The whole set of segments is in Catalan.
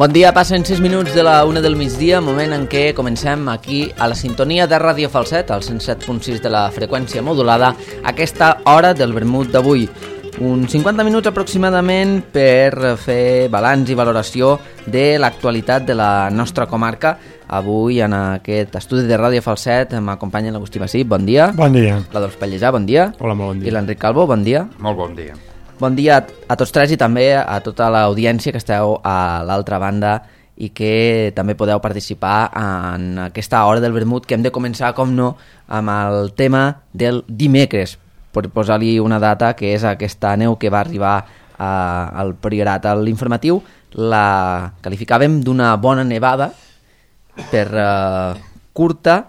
Bon dia, passen 6 minuts de la 1 del migdia, moment en què comencem aquí a la sintonia de Ràdio Falset, al 107.6 de la freqüència modulada, aquesta hora del vermut d'avui. Uns 50 minuts aproximadament per fer balanç i valoració de l'actualitat de la nostra comarca. Avui en aquest estudi de Ràdio Falset m'acompanya l'Agustí Bací, bon dia. Bon dia. L'Adolf Pellejà, bon dia. Hola, molt bon dia. I l'Enric Calvo, bon dia. Molt bon dia. Bon dia a tots tres i també a tota l'audiència que esteu a l'altra banda i que també podeu participar en aquesta hora del vermut que hem de començar, com no, amb el tema del dimecres, per posar-li una data que és aquesta neu que va arribar al Priorat. A l'informatiu la qualificàvem d'una bona nevada per curta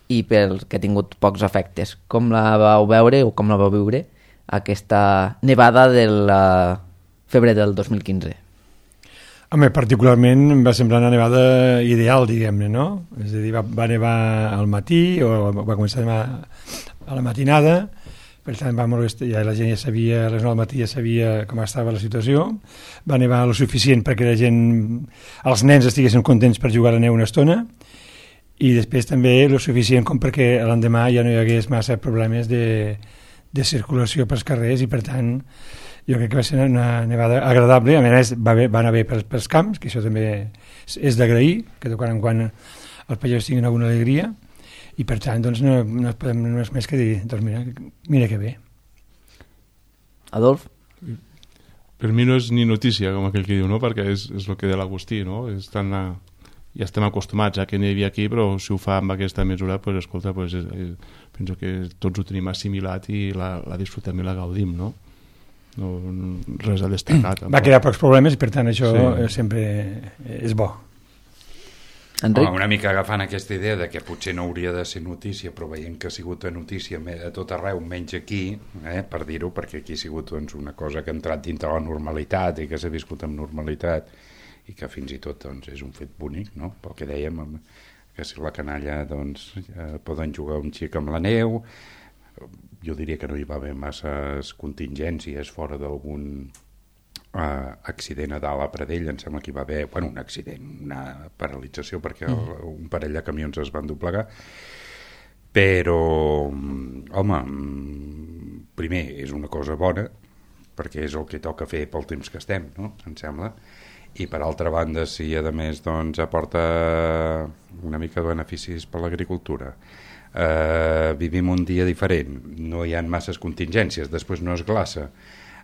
i pel que ha tingut pocs efectes. Com la vau veure o com la vau viure aquesta nevada del febrer del 2015? Home, particularment em va semblar una nevada ideal, diguem-ne, no? És a dir, va nevar al matí, o va començar a nevar a la matinada, per tant va molt bé, ja la gent ja sabia, a les 9 del matí ja sabia com estava la situació, va nevar lo suficient perquè la gent, els nens estiguessin contents per jugar a la neu una estona, i després també lo suficient com perquè l'endemà ja no hi hagués massa problemes de circulació pels carrers, i per tant jo crec que va ser una nevada agradable. A més va anar bé pels camps, que això també és d'agrair, que de quan en quan els pagesos tinguin alguna alegria, i per tant doncs no podem només més que dir, doncs mira que bé. Adolf? Per mi no és ni notícia, com aquell que diu, no? Perquè és el que de l'Agustí, no? Ja estem acostumats a que nevi aquí, però si ho fa amb aquesta mesura, pues, escolta, pues, penso que tots ho tenim assimilat i la disfrutem i la gaudim, no? No res a destacar. Va crear pocs problemes i per tant això sempre és bo. Enric? Una mica agafant aquesta idea de que potser no hauria de ser notícia, però veient que ha sigut notícia a tot arreu, menys aquí, per dir-ho, perquè aquí ha sigut doncs, una cosa que ha entrat dintre la normalitat i que s'ha viscut amb normalitat, i que fins i tot doncs, és un fet bonic, no? Pel que dèiem, que si la canalla doncs, poden jugar un xic amb la neu. Jo diria que no hi va haver masses contingències fora d'algun accident a dalt a Pradell. Em sembla que hi va haver un accident, una paralització, perquè un parell de camions es van doblegar. Però, home, primer, és una cosa bona, perquè és el que toca fer pel temps que estem, no? Em sembla. I per altra banda, si a més doncs, aporta una mica de beneficis per l'agricultura, vivim un dia diferent, no hi ha masses contingències, després no es glaça.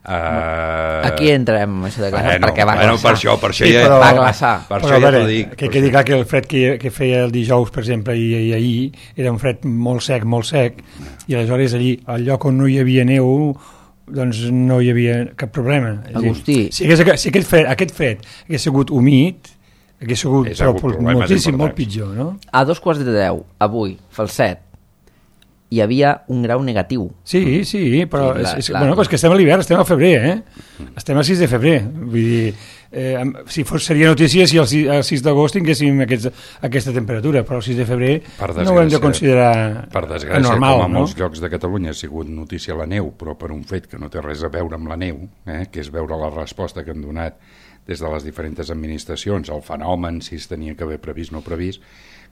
Aquí entrem això de glaçar, perquè va glaçar. Per això ja va glaçar. Per això ja t'ho dic. Que quedi clar que el fred que feia el dijous, per exemple, i ahir, era un fred molt sec, i aleshores allí, al lloc on no hi havia neu, doncs no hi havia cap problema. Agustí. Si aquest fred hagués sigut humit, hagués sigut moltíssim, molt pitjor, no? A 2:15, avui, Falset, hi havia un grau negatiu. Sí, però és que estem a l'hivern, estem al febrer, estem al 6 de febrer. Vull dir, si seria notícia si el 6 d'agost tinguéssim aquesta temperatura, però el 6 de febrer no ho hem de considerar per desgràcia, normal, com a molts llocs de Catalunya ha sigut notícia la neu, però per un fet que no té res a veure amb la neu, que és veure la resposta que han donat des de les diferents administracions, el fenomen, si es tenia que haver previst o no previst.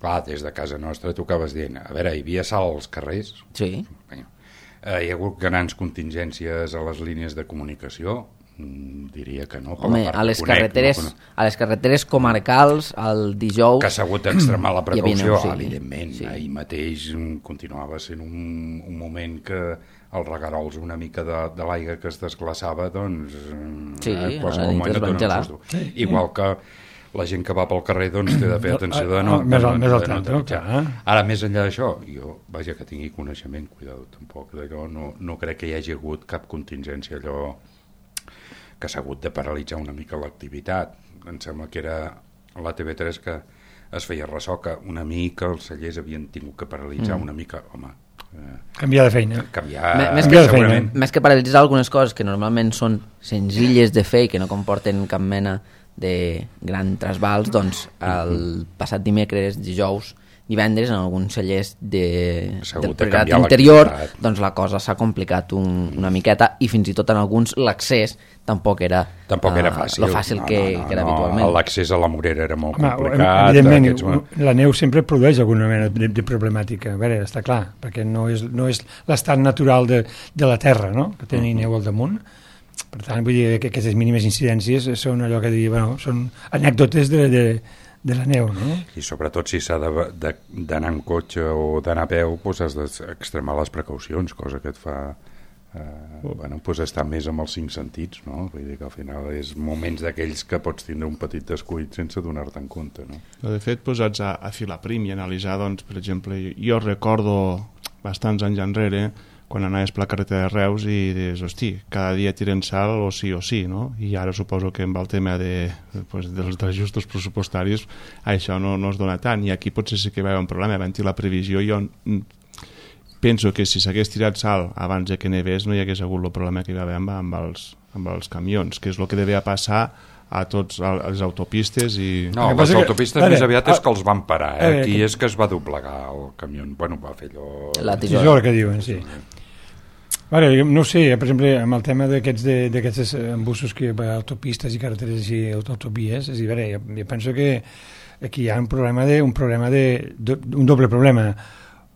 Clar, des de casa nostra tu acabes dient, a veure, hi havia sal als carrers? Sí. Hi ha hagut grans contingències a les línies de comunicació? Diria que no. Home, a les carreteres comarcals, el dijous... Que s'ha hagut d'extremar la precaució, evidentment. Sí. Ahir mateix continuava sent un moment que els regarols una mica de l'aigua que es desglaçava, doncs... Sí, qualsevol moment et donen un susto. Igual que la gent que va pel carrer doncs té de fer atenció de no... Més al tanto, clar. Ara, més enllà d'això, jo, vaja, que tingui coneixement, cuidado, tampoc, d'allò, no crec que hi hagi hagut cap contingència allò que s'ha hagut de paralitzar una mica l'activitat. Em sembla que era la TV3 que es feia ressò que una mica els cellers havien tingut que paralitzar una mica, home... Canviar de feina. Més que paralitzar algunes coses que normalment són senzilles de fer i que no comporten cap mena de gran trasbals, doncs el passat dimecres, dijous, divendres en alguns cellers del Priorat canviar interior, l'activitat. doncs la cosa s'ha complicat una miqueta, i fins i tot en alguns l'accés tampoc era fàcil. lo fàcil que era habitualment. L'accés a la Morera era molt Home, complicat. evidentment, la neu sempre produeix alguna mena de problemàtica, a veure, està clar, perquè no és l'estat natural de la Terra, no?, que tenir neu al damunt. Per tant, vull dir que aquestes mínimes incidències són allò que dir, bueno, són anècdotes de la neu, no? I sobretot si s'ha d'anar en cotxe o d'anar a peu, doncs has d'extremar les precaucions, cosa que et fa estar més amb els 5 sentits, no? Vull dir que al final és moments d'aquells que pots tindre un petit descuit sense donar-te en compte, no? De fet, posats a filar prim i analitzar, doncs, per exemple, jo recordo bastants anys enrere quan anaves per la carretera de Reus i dius, hosti, cada dia tiren sal o sí, no? I ara suposo que amb el tema dels ajustos pressupostaris això no es dona tant, i aquí potser sí que va haver un problema. Havent-hi la previsió, jo penso que si s'hagués tirat sal abans que nevés no hi hagués hagut el problema que hi va haver amb els camions, que és el que devia passar a tots les autopistes i... No, les autopistes més aviat és que els van parar, aquí és que es va doblegar el camió, bueno, va fer allò... La tisora que diuen, sí. Ara, no ho sé, per exemple, amb el tema d'aquests embussos que va a autopistes i carreteres i autovies, és a dir, veure, jo penso que aquí hi ha un doble problema.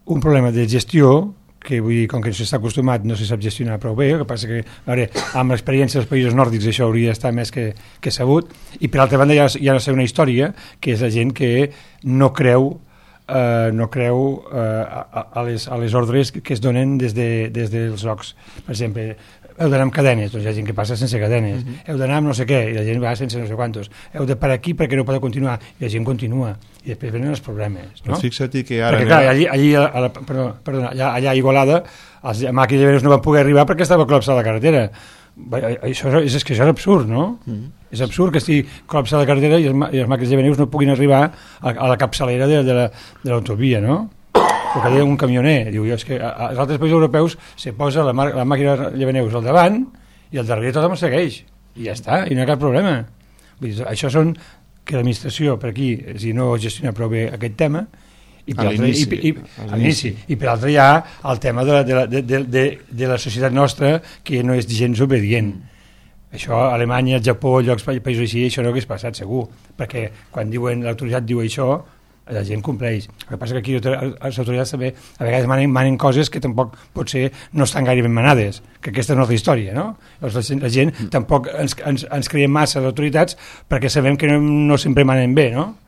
Un problema de gestió, que vull dir, com que no s'està acostumat, no se sap gestionar prou bé, el que passa que, a veure, amb l'experiència dels països nòrdics això hauria d'estar més que sabut, i per altra banda hi ha una segona història, que és la gent que no creu a les ordres que es donen des dels llocs. Per exemple, heu d'anar amb cadenes, doncs hi ha gent que passa sense cadenes, heu d'anar amb no sé què, i la gent va sense no sé quantos, heu de parar aquí perquè no podeu continuar, i la gent continua, i després venen els problemes, no? Fixa't que ara... Perquè clar, allà a Igualada els màquines de veus no van poder arribar perquè estava col·lapsada la carretera. Això és absurd, no? És absurd que estigui col·lapsada la carretera i les màquines de veus no puguin arribar a la capçalera de l'autovia, no? El que deia un camioner, diu, és que als altres països europeus se posa la màquina de veus al davant i al darrere tothom el segueix, i ja està, i no hi ha cap problema. Vull dir, això són que l'administració per aquí no gestiona prou bé aquest tema, i per altre hi ha el tema de la societat nostra que no és gens obedient. Això a Alemanya, al Japó, llocs, països així, això no hagués passat segur, perquè quan l'autoritat diu això, la gent compleix. El que passa que aquí les autoritats també a vegades manen coses que tampoc potser no estan gaire ben manades, que aquesta és una altra història, no? Llavors la gent tampoc ens creiem massa les autoritats perquè sabem que no sempre manen bé, no?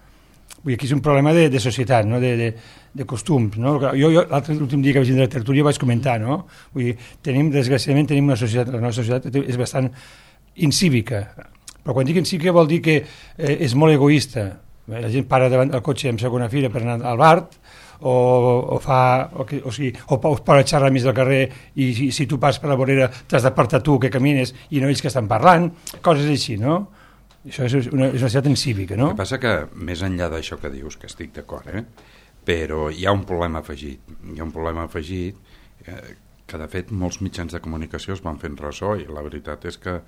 Vull dir, aquí és un problema de societat, no? de costums, no? Jo l'últim dia que vaig vindre a la tertúlia vaig comentar, no? Vull dir, desgraciadament tenim la nostra societat és bastant incívica, però quan dic incívica vol dir que és molt egoista. La gent para davant del cotxe en segona fila per anar al bar, o para xerrar mig del carrer, i si tu passes per la vorera t'has d'apartar tu que camines i no ells que estan parlant, coses així, no? Això és una societat incívica, no? El que passa que, més enllà d'això que dius, que estic d'acord, però hi ha un problema afegit. Hi ha un problema afegit que, de fet, molts mitjans de comunicació es van fent ressò, i la veritat és que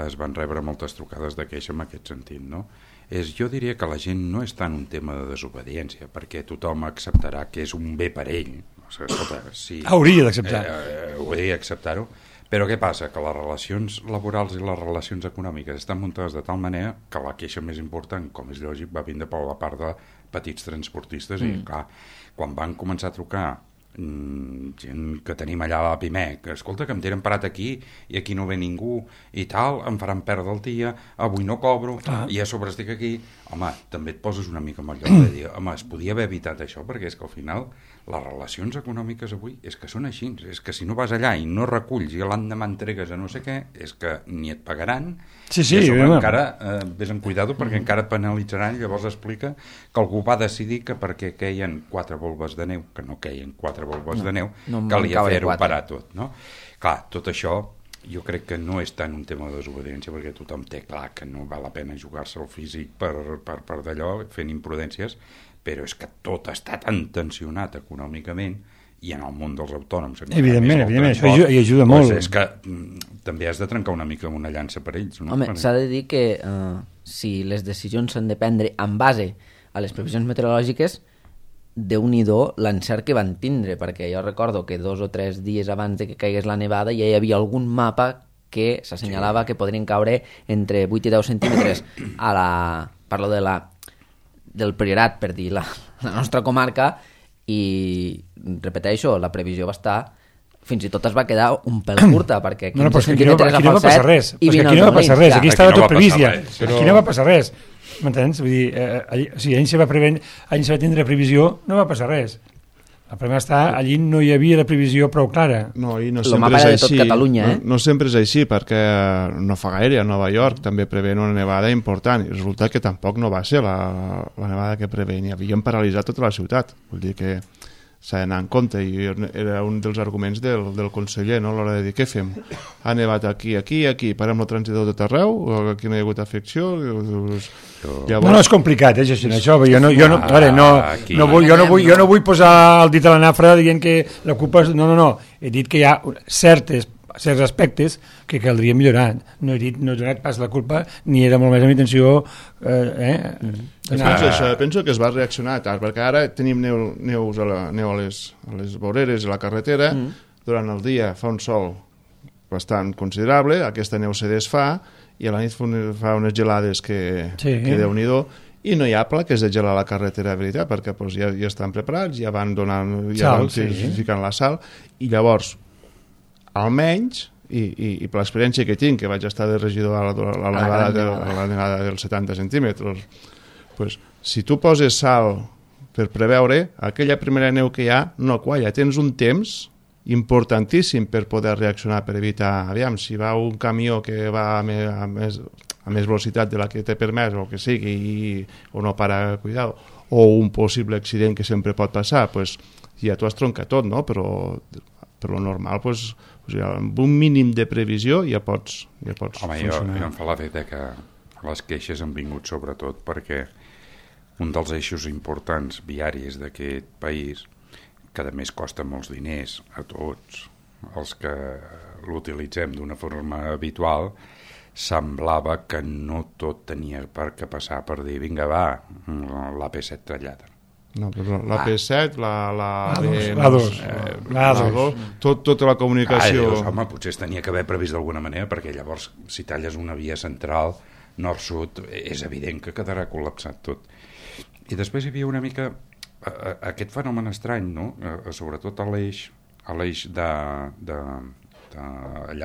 es van rebre moltes trucades de queixa en aquest sentit, no? Jo diria que la gent no és tant un tema de desobediència, perquè tothom acceptarà que és un bé per ell. Hauria d'acceptar. Hauria d'acceptar-ho. Però què passa? Que les relacions laborals i les relacions econòmiques estan muntades de tal manera que la queixa més important, com és lògic, va vindre per la part de petits transportistes, i clar, quan van començar a trucar gent que tenim allà a la Pimec, que escolta, que em tenen parat aquí i aquí no ve ningú i tal, em faran perdre el dia, avui no cobro, i a sobre estic aquí, home, també et poses una mica amb el lloc de dir, home, es podia haver evitat això, perquè és que al final les relacions econòmiques avui és que són així, és que si no vas allà i no reculls i l'endemà entregues a no sé què, és que ni et pagaran, i a sobre encara vés amb cuidado perquè encara et penalitzaran, i llavors explica que algú va decidir que perquè queien 4 volves de neu, que no queien 4 volves de neu, calia fer-ho parar tot, no? Clar, tot això jo crec que no és tant un tema de desobediència, perquè tothom té clar que no val la pena jugar-se el físic per d'allò, fent imprudències, però és que tot està tan tensionat econòmicament, i en el món dels autònoms evidentment, això hi ajuda molt, és que també has de trencar una mica una llança per ells, no? Home, s'ha de dir que si les decisions s'han de prendre en base a les previsions meteorològiques, Déu-n'hi-do l'encert que van tindre, perquè jo recordo que 2 o 3 dies abans de que caigués la nevada ja hi havia algun mapa que s'assenyalava que podrien caure entre 8 i 10 centímetres parlo del Priorat, per dir la nostra comarca, i repeteixo, la previsió va estar, fins i tot es va quedar un pèl curta, perquè 15 centímetres a Falset i 20 aquí no va passar res, aquí estava tot previst ja, però... aquí no va passar res, m'entens? Vull dir, si allà se va tindre previsió, no va passar res. El problema està, allí no hi havia la previsió prou clara. No, i no El sempre mapa és era de així. tot Catalunya, no sempre és així, perquè no fa gaire a Nova York també preveien una nevada important, i resulta que tampoc no va ser la nevada que preveien, i havien paralitzat tota la ciutat. Vull dir que s'ha d'anar en compte, i era un dels arguments del conseller, no? A l'hora de dir, què fem? Ha nevat aquí, parem el transitador de tot arreu, o aquí no hi ha hagut afecció? Llavors... No és complicat, això. Jo no vull posar el dit a la nafra dient que la culpa és... No. He dit que hi ha certs aspectes que caldria millorar. No he donat pas la culpa, ni era molt més la intenció... Penso que es va reaccionar tard, perquè ara tenim neu a les voreres de la carretera, durant el dia fa un sol bastant considerable, aquesta neu se desfà, i a la nit fa unes gelades que Déu-n'hi-do, i no hi ha plaques de gelar a la carretera, de veritat, perquè ja estan preparats, ja van donant, ficant la sal, i llavors, almenys, i per l'experiència que tinc, que vaig estar de regidor a la nevada dels 70 centímetres, pues, si tu poses sal per preveure, aquella primera neu que hi ha no qualla, tens un temps importantíssim per poder reaccionar, per evitar, aviam, si va un camió que va a més velocitat de la que té permès o que sigui, o no para cuidado, o un possible accident que sempre pot passar, pues, ja t'ho has troncat tot, no? Però lo normal, pues, amb un mínim de previsió ja pots funcionar. Jo em fa l'efecte que les queixes han vingut sobretot perquè un dels eixos importants viaris d'aquest país, que a més costa molts diners a tots els que l'utilitzem d'una forma habitual, semblava que no tot tenia per què passar per dir, vinga, va, l'AP7 tallada. No, però l'AP7, l'A2, tota la comunicació... Home, potser es tenia que haver previst d'alguna manera, perquè llavors, si talles una via central, nord-sud, és evident que quedarà col·lapsat tot. I després hi havia una mica aquest fenomen estrany, no? Sobretot a l'eix allà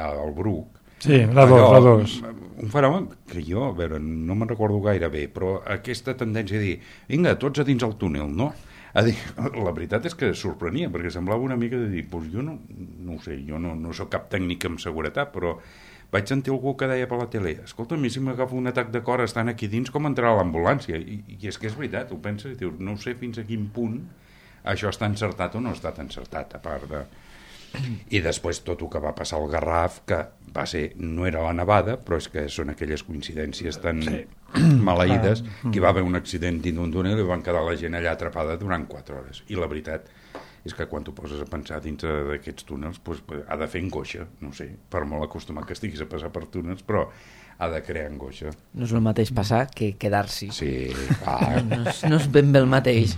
al Bruc. Sí, l'A2. Un fenomen que jo, a veure, no me'n recordo gaire bé, però aquesta tendència a dir, vinga, tots a dins el túnel, no? La veritat és que sorprenia, perquè semblava una mica de dir, doncs jo no ho sé, jo no soc cap tècnic en seguretat, però vaig sentir algú que deia per la tele, escolta, a mi si m'agafa un atac de cor estant aquí dins, com entrarà a l'ambulància? I és que és veritat, ho penses, i dius, no sé fins a quin punt això està encertat o no està encertat, a part de... I després tot el que va passar al Garraf, que va ser, no era la nevada, però és que són aquelles coincidències tan maleïdes, que hi va haver un accident dins d'un túnel i van quedar la gent allà atrapada durant 4 hores. I la veritat és que quan t'ho poses a pensar dins d'aquests túnels, pues, ha de fer angoixa, no sé, per molt acostumat que estiguis a passar per túnels, però ha de crear angoixa. No és el mateix passar que quedar-s'hi. Sí, no és ben bé el mateix.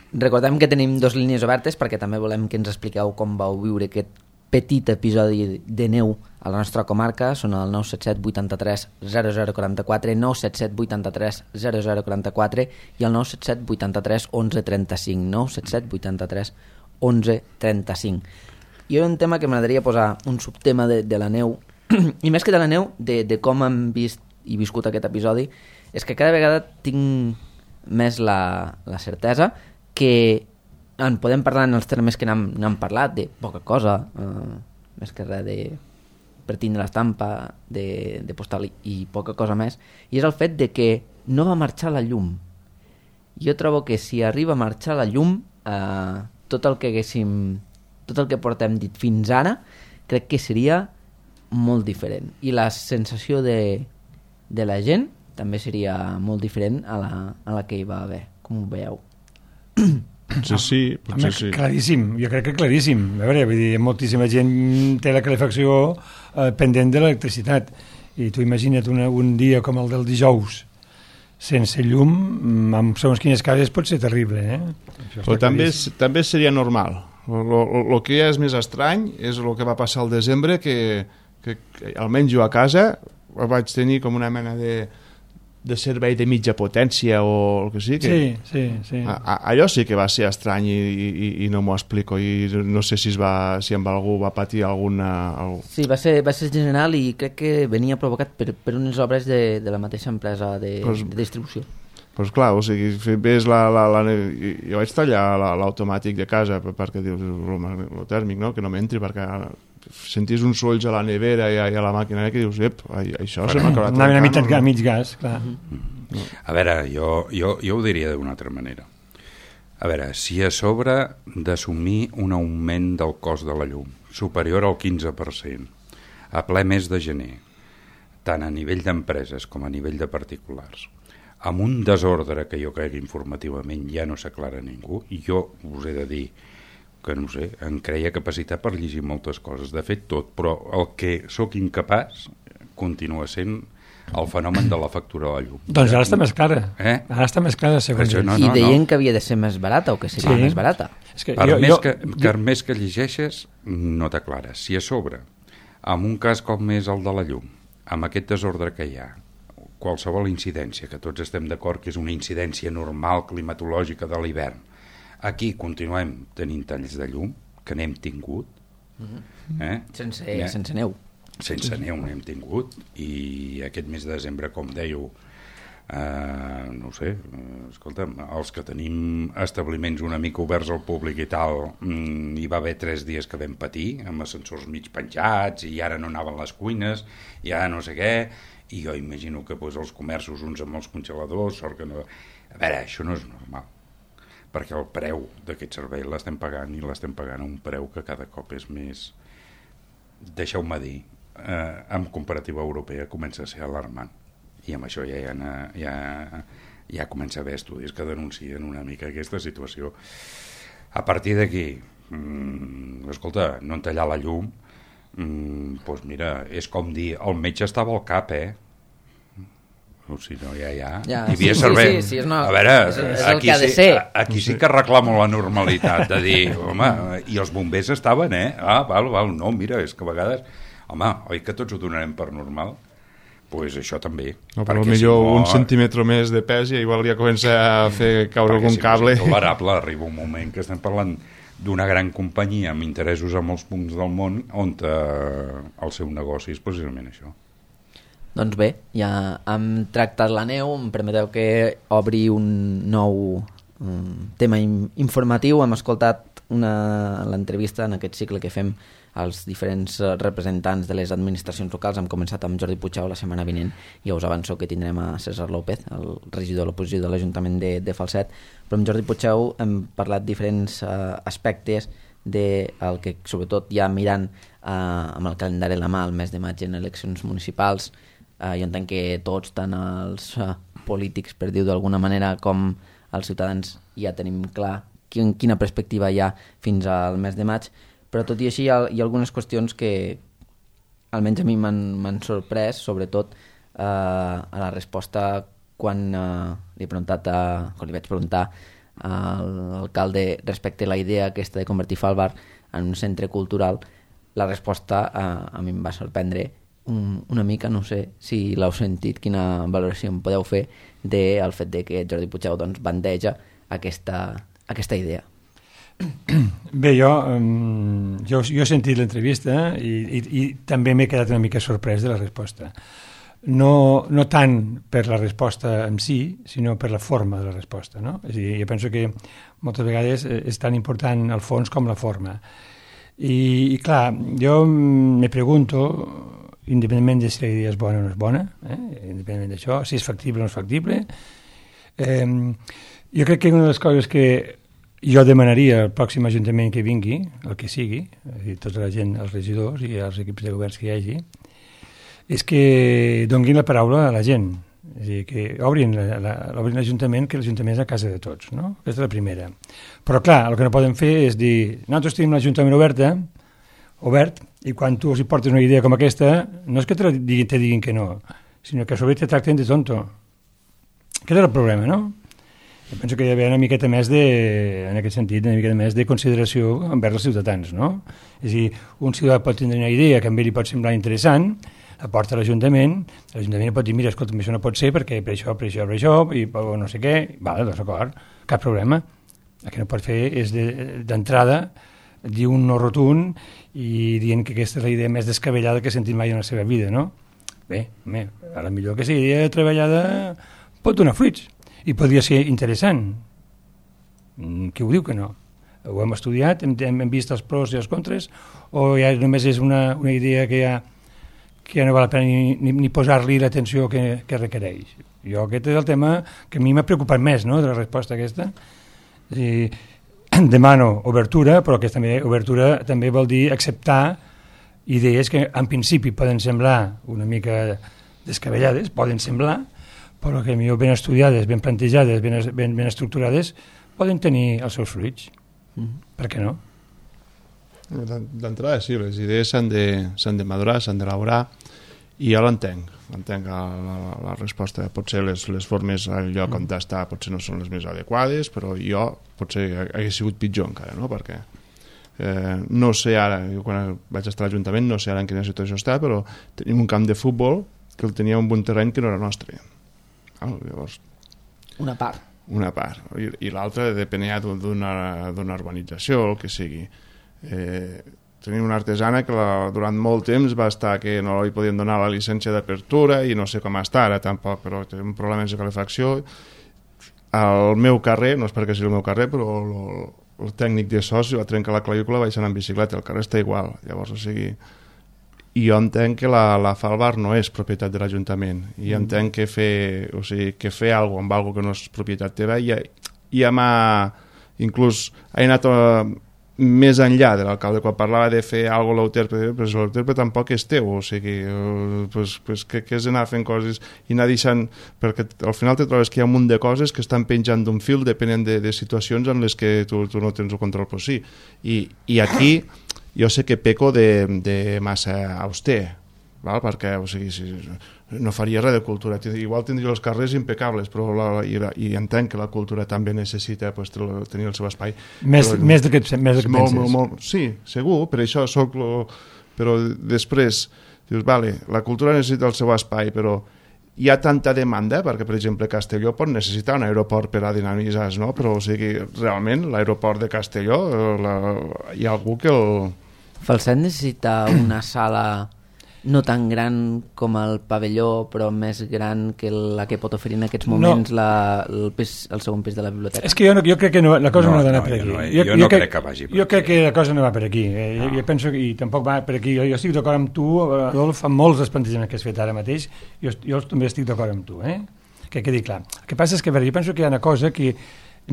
Recordem que tenim 2 línies obertes perquè també volem que ens expliqueu com vau viure aquest petit episodi de neu a la nostra comarca. Són el 977 83 0044, 977 83 0044 i el 977 83 11 35, 977 83 11 35. I hi ha un tema que m'agradaria posar, un subtema de la neu, i més que de la neu, de com hem vist i viscut aquest episodi, és que cada vegada tinc més la certesa que en podem parlar en els termes que n'hem parlat, de poca cosa, més que res per tindre l'estampa de postal i poca cosa més, i és el fet de que no va marxar la llum. Jo trobo que si arriba a marxar la llum, tot el que portem dit fins ara, crec que seria molt diferent. I la sensació de la gent també seria molt diferent a la que hi va haver. Com ho veieu? Potser sí. Claríssim, jo crec que claríssim. A veure, vull dir, moltíssima gent té la calefacció pendent de l'electricitat. I tu imagina't un dia com el del dijous, sense llum, amb segons quines cases pot ser terrible, Però també seria normal. El que ja és més estrany és el que va passar al desembre, que almenys jo a casa vaig tenir com una mena de servei de mitja potència o el que sigui. Sí. Allò sí que va ser estrany i no m'ho explico, i no sé si amb algú va patir alguna... Sí, va ser general i crec que venia provocat per unes obres de la mateixa empresa de distribució. Doncs clar, o sigui, ves jo vaig tallar l'automàtic de casa perquè dius, el tèrmic, no? Que no m'entri, perquè sentis uns solls a la nevera i a la màquina que dius, això se m'ha acabat trencant. A mig gas, clar. A veure, jo ho diria d'una altra manera. A veure, si a sobre d'assumir un augment del cost de la llum superior al 15% a ple mes de gener, tant a nivell d'empreses com a nivell de particulars, amb un desordre que jo crec informativament ja no s'aclara ningú, i jo us he de dir que, no sé, em creia capacitat per llegir moltes coses, de fet tot, però el que sóc incapaç continua sent el fenomen de la factura de la llum. Doncs ara està més clara. Ara està més clara, segons ells. I deien que havia de ser més barata o que seria més barata. És que per més que llegeixes, no t'aclares. Si a sobre, amb un cas com és el de la llum, amb aquest desordre que hi ha, qualsevol incidència, que tots estem d'acord que és una incidència normal climatològica de l'hivern, aquí continuem tenint talls de llum, que n'hem tingut. Sense neu. Sense neu n'hem tingut, i aquest mes de desembre, com dèieu, no sé, escolta'm, els que tenim establiments una mica oberts al públic i tal, hi va haver 3 dies que vam patir, amb ascensors mig penjats, i ara no anaven les cuines, i ara no sé què, i jo imagino que els comerços, uns amb els congeladors, sort que no... A veure, això no és normal, perquè el preu d'aquest servei l'estem pagant, i l'estem pagant a un preu que cada cop és més, deixeu-me dir, en comparativa europea comença a ser alarmant, i amb això ja comença a haver estudis que denuncien una mica aquesta situació. A partir d'aquí, escolta, no tallar la llum, doncs mira, és com dir el metge estava al cap, o sigui, no, ja. Hi havia servei. Sí, a veure, és el que ha de ser. Aquí sí que reclamo la normalitat, de dir, home, i els bombers estaven, val, no, mira, és que a vegades, home, oi que tots ho donarem per normal? Doncs això també. No, però millor un centímetre més de pes i igual ja comença a fer caure algun cable. Perquè si és tolerable, arriba un moment que estem parlant d'una gran companyia amb interessos a molts punts del món on el seu negoci és precisament això. Doncs bé, ja hem tractat la neu, em permeteu que obri un nou tema informatiu. Hem escoltat l'entrevista en aquest cicle que fem als diferents representants de les administracions locals. Hem començat amb Jordi Puigdeu la setmana vinent, i us avanço que tindrem a César López, el regidor de l'oposició de l'Ajuntament de Falset, però amb Jordi Puigdeu hem parlat diferents aspectes del que, sobretot ja mirant amb el calendari a la mà, el mes de maig en eleccions municipals. Jo entenc que tots, tant els polítics, per dir-ho d'alguna manera, com els ciutadans, ja tenim clar quina perspectiva hi ha fins al mes de maig, però tot i així hi ha algunes qüestions que almenys a mi m'han sorprès, sobretot a la resposta quan li vaig preguntar a l'alcalde respecte a la idea aquesta de convertir Falbar en un centre cultural. La resposta a mi em va sorprendre una mica, no sé si l'heu sentit, quina valoració em podeu fer del fet de que Jordi Puigdeu doncs bandeja aquesta idea. Bé, jo he sentit l'entrevista i també m'he quedat una mica sorprès de la resposta. No tant per la resposta en si, sinó per la forma de la resposta, no? És a dir, jo penso que moltes vegades és tan important el fons com la forma. I clar, jo me pregunto, independentment de si la idea és bona o no és bona, independentment d'això, si és factible o no és factible, jo crec que una de les coses que jo demanaria al pròxim ajuntament que vingui, el que sigui, tota la gent, els regidors i els equips de governs que hi hagi, és que donguin la paraula a la gent. És a dir, que obrin l'Ajuntament, que l'Ajuntament és a casa de tots, no? Aquesta és la primera. Però clar, el que no poden fer és dir, nosaltres tenim l'Ajuntament obert, i quan tu els hi portes una idea com aquesta, no és que te diguin que no, sinó que a sobre te tracten de tonto. Aquest és el problema, no? Jo penso que hi ha d'haver una miqueta més en aquest sentit, una miqueta més de consideració envers els ciutadans, no? És a dir, un ciutadà pot tenir una idea que a ell li pot semblar interessant, la porta a l'Ajuntament pot dir, mira, escolta, això no pot ser perquè per això, i no sé què, vale, doncs d'acord, cap problema. El que no pot fer és d'entrada dir un no rotund i dient que aquesta és la idea més descabellada que ha sentit mai en la seva vida, no? Bé, a la millor que sigui idea treballada pot donar fruits i podria ser interessant. Qui ho diu que no? Ho hem estudiat, hem vist els pros i els contres, o ja només és una idea que ja no val la pena ni posar-li l'atenció que requereix. Jo aquest és el tema que a mi m'ha preocupat més, no?, de la resposta aquesta. Demano obertura, però aquesta obertura també vol dir acceptar idees que en principi poden semblar una mica descabellades, poden semblar, però que millor ben estudiades, ben plantejades, ben estructurades, poden tenir els seus fruits. Per què no? D'entrada sí, les idees s'han de madurar, s'han d'elaborar, i jo l'entenc la resposta. Potser les formes al lloc on està potser no són les més adequades, però jo potser hagués sigut pitjor encara, no? Perquè no sé ara, jo quan vaig estar a l'Ajuntament no sé ara en quina situació està, però tenim un camp de futbol que el tenia un terreny que no era nostre. Llavors, una part, i l'altra depenia d'una urbanització, el que sigui. Tenim una artesana que durant molt temps va estar que no li podien donar la llicència d'apertura i no sé com està ara tampoc, però té un problema de calefacció. Al meu carrer, no és perquè sigui el meu carrer, però el tècnic de sos va trencar la clavícula baixant en bicicleta, el carrer està igual. Llavors, o sigui, i jo entenc que la Falbar no és propietat de l'Ajuntament, i entenc que fer alguna cosa amb alguna que no és propietat teva ja m'ha inclús anat més enllà de l'alcalde quan parlava de fer alguna cosa a l'Euterpe, però l'Euterpe tampoc és teu, o sigui, que és anar fent coses i anar deixant, perquè al final te trobes que hi ha un munt de coses que estan penjant d'un fil depenent de situacions en les que tu no tens el control, però sí, i aquí jo sé que peco de massa auster, val? Perquè o sigui, no faria res de cultura, igual tindria els carrers impecables, però i entenc que la cultura també necessita tenir el seu espai. Més del que penses. Sí, segur, per això però després dius, vale, la cultura necessita el seu espai, però hi ha tanta demanda, perquè per exemple Castelló pot necessitar un aeroport per a dinamitzar, no? Però o sigui, realment l'aeroport de Castelló hi ha algú que el... Falset necessita una sala no tan gran com el pavelló, però més gran que la que pot oferir en aquests moments el segon pis de la biblioteca. És que jo crec que la cosa no ha d'anar per aquí. Jo no crec que vagi per aquí. Jo crec que la cosa no va per aquí. Jo penso que tampoc va per aquí. Jo estic d'acord amb tu, Adolf, amb molts dels plantejaments que has fet ara mateix. Jo també estic d'acord amb tu, que quedi clar. El que passa és que jo penso que hi ha una cosa que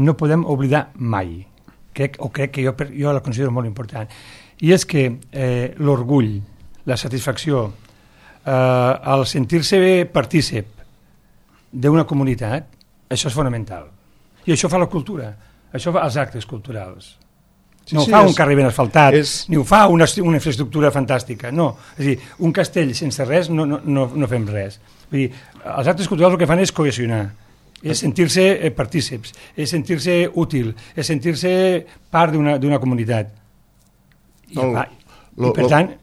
no podem oblidar mai, crec que jo la considero molt important, i és que l'orgull, la satisfacció, el sentir-se partícip d'una comunitat, això és fonamental. I això fa la cultura, això fa els actes culturals. No ho fa un carrer ben asfaltat, ni ho fa una infraestructura fantàstica, no. És a dir, un castell sense res no fem res. Vull dir, els actes culturals el que fan és cohesionar, és sentir-se partícips, és sentir-se útil, és sentir-se part d'una comunitat. I per tant...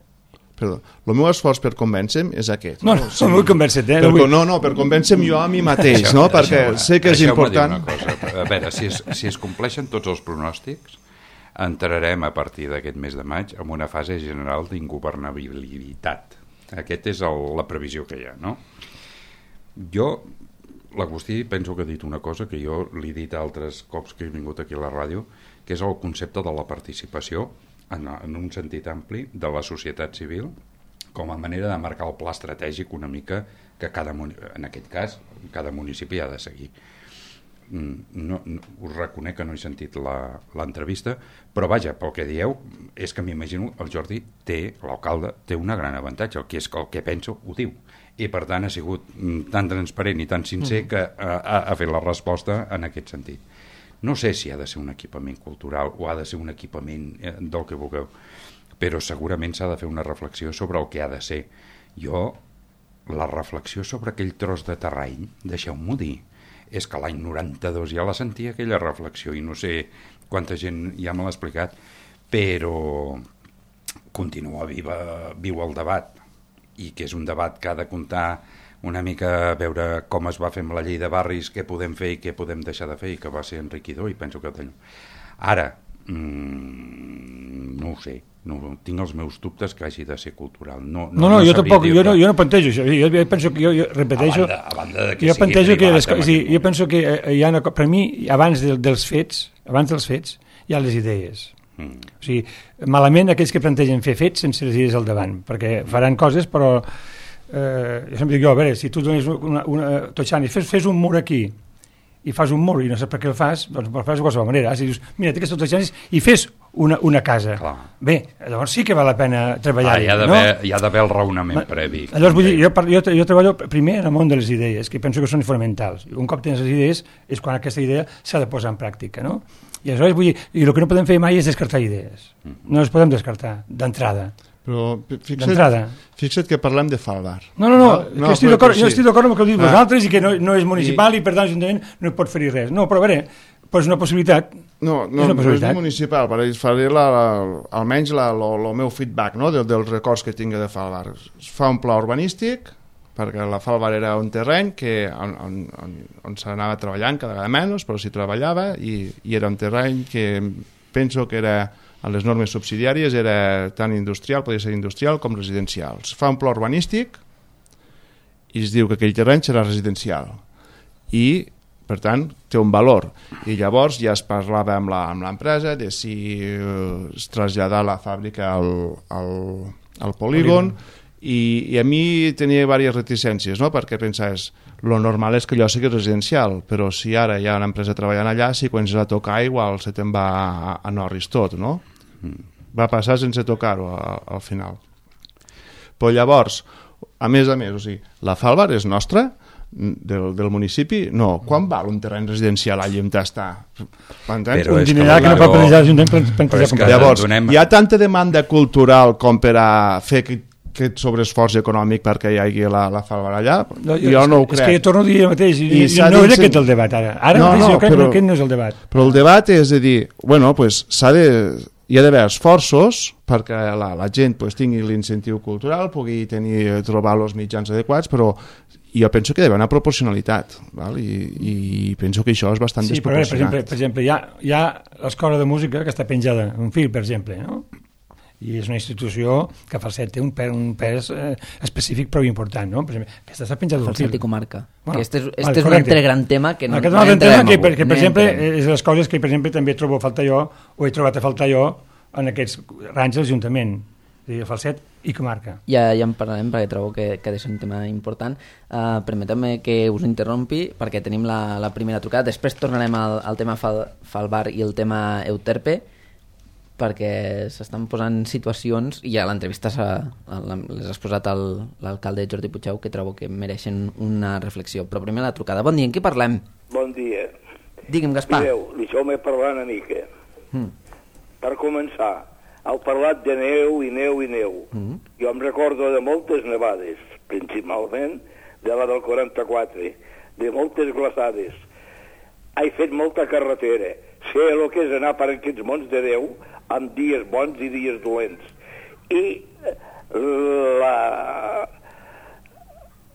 Perdó, el meu esforç per convèncer-me és aquest. No vull convèncer-te. Per convèncer-me jo a mi mateix, no? Perquè sé que és important... A veure, si es compleixen tots els pronòstics, entrarem a partir d'aquest mes de maig en una fase general d'ingovernabilitat. Aquesta és la previsió que hi ha, no? Jo, l'Agustí, penso que ha dit una cosa que jo li he dit altres cops que he vingut aquí a la ràdio, que és el concepte de la participació en un sentit ampli de la societat civil com a manera de marcar el pla estratègic una mica que en aquest cas cada municipi ha de seguir. Us reconec que no he sentit l'entrevista, però vaja, pel que dieu és que m'imagino el Jordi l'alcalde té un gran avantatge, que és que el que penso ho diu, i per tant ha sigut tan transparent i tan sincer que ha fet la resposta en aquest sentit. No sé si ha de ser un equipament cultural o ha de ser un equipament del que vulgueu, però segurament s'ha de fer una reflexió sobre el que ha de ser. La reflexió sobre aquell tros de terreny, deixeu-m'ho dir, és que l'any 92 ja la sentia aquella reflexió i no sé quanta gent ja me l'ha explicat, però continua viu el debat, i que és un debat que ha de comptar una mica a veure com es va fer amb la llei de barris, què podem fer i què podem deixar de fer, i que va ser enriquidor, i penso que ara no ho sé, tinc els meus dubtes que hagi de ser cultural. No, jo tampoc, jo no plantejo això, jo penso que jo repeteixo, a banda de que jo plantejo que jo penso que hi ha per mi, abans dels fets hi ha les idees. O sigui, malament aquells que plantegen fer fets sense les idees al davant, perquè faran coses, però jo sempre dic, a veure, si tu dones Totxani, fes un mur aquí i fas un mur i no saps per què el fas, doncs el fas de qualsevol manera. Si dius, mira, té aquests Totxanis i fes una casa. Clar. Bé, llavors sí que val la pena treballar-hi. Hi ha d'haver el raonament previ. Llavors, vull dir, jo treballo primer en el món de les idees, que penso que són fonamentals. Un cop tens les idees és quan aquesta idea s'ha de posar en pràctica, no? I aleshores, vull dir, i el que no podem fer mai és descartar idees. No les podem descartar, d'entrada. Però fixa't que parlem de Falvar. No, jo estic d'acord amb el que heu dit vosaltres i que no és municipal i per tant l'Ajuntament no hi pot fer res. No, però a veure, és una possibilitat. No és municipal, però faré almenys el meu feedback, no, dels records que tinc de Falvar. Es fa un pla urbanístic, perquè la Falvar era un terreny on s'anava treballant cada vegada menys, però s'hi treballava i era un terreny que penso que era, a les normes subsidiàries, era tant industrial, podia ser industrial com residencial. Es fa un pla urbanístic i es diu que aquell terreny serà residencial i, per tant, té un valor. I llavors ja es parlava amb l'empresa de si es traslladar la fàbrica al polígon. I a mi tenia diverses reticències, no? Perquè pensaves, lo normal és que allò sigui residencial, però si ara hi ha una empresa treballant allà, si quan s'ha de tocar igual se te'n va a Norris tot, no? Va passar sense tocar-ho al final. Però llavors, a més, o sigui, la Falvar és nostra, del municipi? No. Quan val un terreny residencial allà on està? Un dinerar que no pot plantejar l'Ajuntament. Llavors, hi ha tanta demanda cultural com per a fer aquest sobreesforç econòmic perquè hi hagi la Falvar allà? Jo no ho crec. És que jo torno a dir el mateix, no és aquest el debat ara. Ara mateix jo crec que aquest no és el debat. Però el debat és de dir, bueno, pues hi ha d'haver esforços perquè la gent tingui l'incentiu cultural, pugui trobar els mitjans adequats, però jo penso que hi ha d'haver una proporcionalitat, val? I penso que això és bastant desproporcionat. Per exemple, hi ha l'escola de música que està penjada, un fil, per exemple, no? I és una institució que Falset té un pes específic prou important, no? Per exemple, aquesta està penjada d'un fil. Falset i comarca. Este és un altre gran tema que no entrem. Aquest és un altre tema que, per exemple, és de les coses que, per exemple, també trobo a faltar jo, o he trobat a faltar jo, en aquests ranys de l'Ajuntament. És a dir, Falset i comarca. Ja en parlarem, perquè trobo que ha de ser un tema important. Permeteu-me que us interrompi, perquè tenim la primera trucada. Després tornarem al tema Falvar i el tema Euterpe, perquè s'estan posant situacions i a l'entrevista les has posat l'alcalde Jordi Puigdeu, que trobo que mereixen una reflexió. Però primer la trucada. Bon dia, en qui parlem? Bon dia. Digue'm, Gaspar. Mireu, deixeu-me parlar una mica. Per començar, heu parlat de neu i neu i neu. Jo em recordo de moltes nevades, principalment de la del 44, de moltes glaçades. He fet molta carretera. Sé el que és anar per aquests mons de Déu amb dies bons i dies dolents. I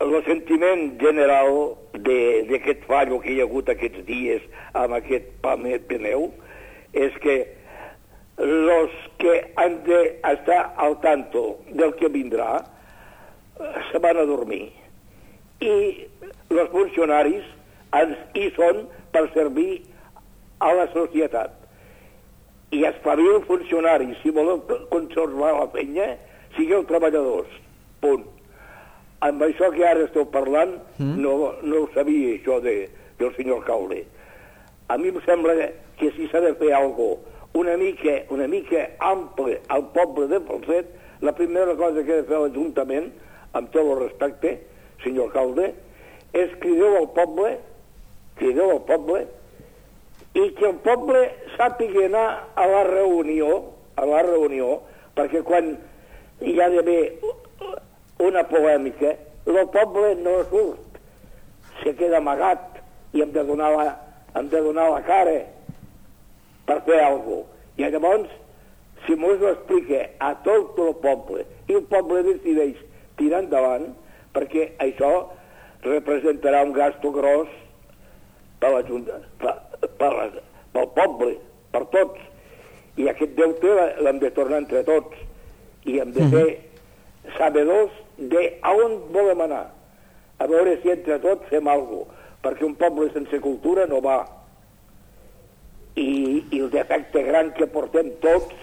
el sentiment general d'aquest fallo que hi ha hagut aquests dies amb aquest Peneu és que els que han d'estar al tanto del que vindrà se van a dormir. I els funcionaris hi són per servir a la societat. I espavil funcionaris, si voleu conservar la penya, sigueu treballadors. Punt. Amb això que ara esteu parlant, no ho sabia, això del senyor alcalde. A mi em sembla que si s'ha de fer alguna cosa una mica ample al poble de Falset, la primera cosa que ha de fer l'Ajuntament, amb tot el respecte, senyor alcalde, és crideu al poble i que el poble sàpiga anar a la reunió, perquè quan hi ha d'haver una polèmica, el poble no surt, se queda amagat i hem de donar la cara per fer alguna cosa. I llavors, si mos ho explica a tot el poble, i el poble decideix tirar endavant, perquè això representarà un gasto gros per la Junta, pel poble, per tots. I aquest deute l'hem de tornar entre tots. I hem de ser sabedors d'on volem anar. A veure si entre tots fem alguna cosa, perquè un poble sense cultura no va. I el defecte gran que portem tots,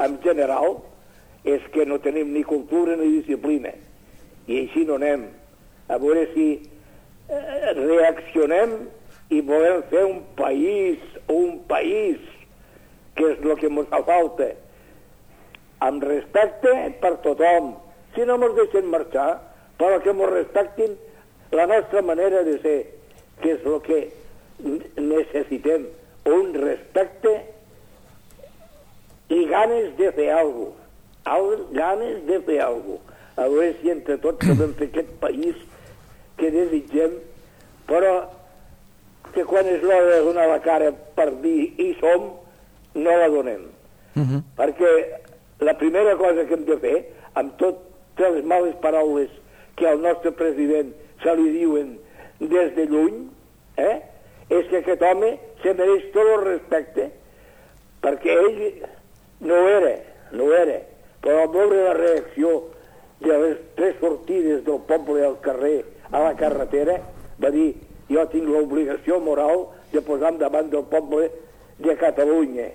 en general, és que no tenim ni cultura ni disciplina. I així no anem. A veure si reaccionem i volem fer un país, que és el que ens fa falta, amb respecte per tothom. Si no ens deixen marxar, però que ens respectin la nostra manera de ser, que és el que necessitem, un respecte i ganes de fer alguna cosa. A veure si entre tots podem fer aquest país que desitgem, però que quan és l'hora de donar la cara per dir hi som, no la donem. Perquè la primera cosa que hem de fer, amb totes les males paraules que al nostre president se li diuen des de lluny, és que aquest home se mereix tot el respecte, perquè ell no era, però al veure la reacció de les 3 sortides del poble al carrer, a la carretera, va dir: jo tinc l'obligació moral de posar davant del poble de Catalunya.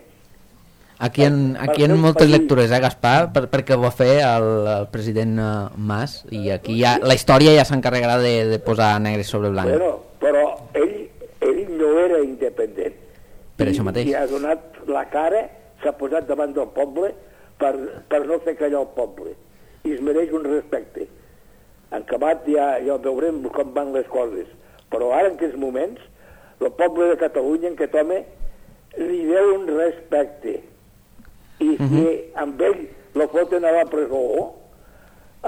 Aquí hi ha moltes lectures, Gaspar, perquè ho va fer el president Mas, i aquí la història ja s'encarregarà de posar negre sobre blanc. Però ell no era independent. Per això mateix. I ha donat la cara, s'ha posat davant del poble per no fer callar el poble. I es mereix un respecte. En acabat ja veurem com van les coses. Però ara, en aquests moments, el poble de Catalunya, en aquest home, li deu un respecte. I si amb ell lo foten a la presó,